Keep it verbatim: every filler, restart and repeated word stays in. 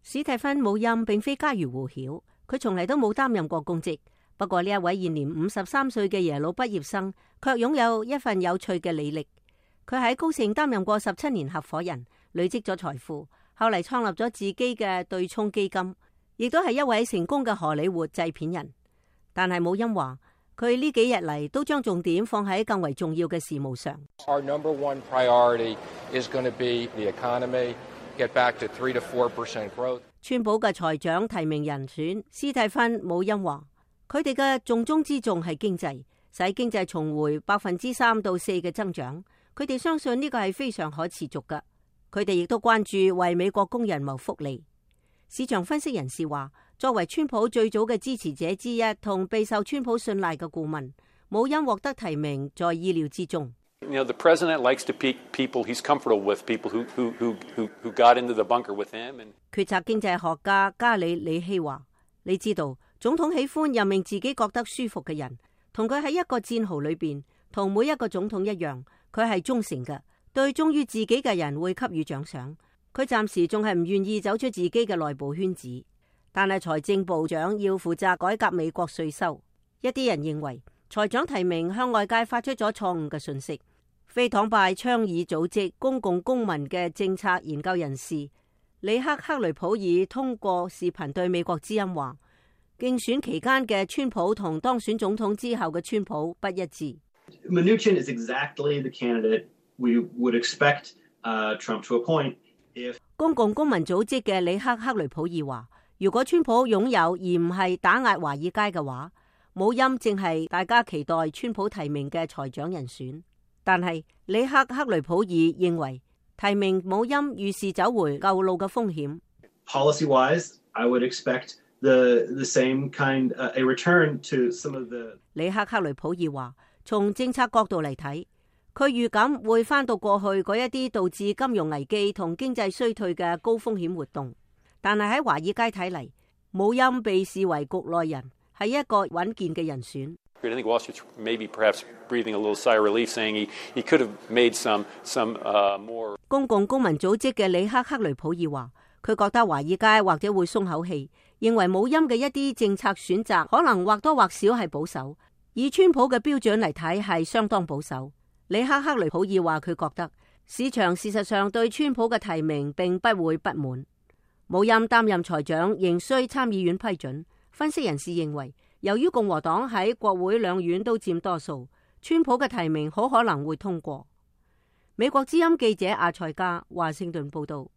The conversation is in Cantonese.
史蒂芬姆欽並非家喻戶曉，佢從嚟都冇擔任過公職。不過呢一位現年五十三歲嘅耶魯畢業生，卻擁有一份有趣嘅履歷。佢喺高盛擔任過十七年合夥人，累積咗財富，後嚟創立咗自己嘅對沖基金，亦都係一位成功嘅荷里活製片人。但係姆欽話，佢呢幾日嚟都將重點放喺更為重要嘅事務上。Our number one priority is going to be the economy, get back to three to four percent growth. 川普嘅財長提名人選史蒂芬姆欽話，佢哋嘅重中之重係經濟，使經濟重回百分之三到四嘅增長。佢哋相信呢個係非常可持續嘅。佢哋亦都關注為美國工人謀福利。市場分析人士話，作為川普最早嘅支持者之一同備受川普信賴嘅顧問，姆欽獲得提名在意料之中。You know, the president likes to pick people he's comfortable with, people who who who who got into the bunker with him. And 決策經濟學家加里里希話，你知道總統喜歡任命自己覺得舒服嘅人，同佢喺一個戰壕裏邊，同每一個總統一樣。佢係忠誠嘅，對忠於自己嘅人會給予獎賞。佢暫時仲係唔願意走出自己嘅內部圈子，但係財政部長要負責改革美國稅收。一啲人認為財長提名向外界發出咗錯誤嘅訊息。非黨派倡議組織公共公民嘅政策研究人士里克克雷普爾通過視頻對美國之音話，競選期間嘅川普同當選總統之後嘅川普不一致。Mnuchin is exactly the candidate we would expect uh, Trump to appoint if 公共公民組織嘅里克克雷普爾話，如果川普擁有而唔係打壓華爾街嘅話，姆欽正係大家期待川普提名嘅財長人選。但係里克克雷普爾認為提名姆欽預示走回舊路嘅風險。Policy-wise, I would expect the the same kind uh, a return to some of the 里克克雷普爾話，從政策角度嚟睇，佢預感會返到過去嗰一啲導致金融危機同經濟衰退嘅高風險活動。但係喺華爾街睇嚟，姆欽被視為局內人，係一個穩健嘅人選。I think Wall Street's maybe perhaps breathing a little sigh of relief, saying he he could have made some some uh, more. 公共公民組織嘅里克克雷普爾話，佢覺得華爾街或者會鬆口氣，認為姆欽嘅一啲政策選擇可能或多或少係保守，以川普嘅標準嚟睇係相當保守。里克克雷普爾話，佢覺得市場事實上對川普嘅提名並不會不滿。姆欽擔任財長仍需參議院批准。分析人士認為，由於共和黨喺國會兩院都佔多數，川普嘅提名好可能會通過。美國之音記者阿塞加華盛頓報道。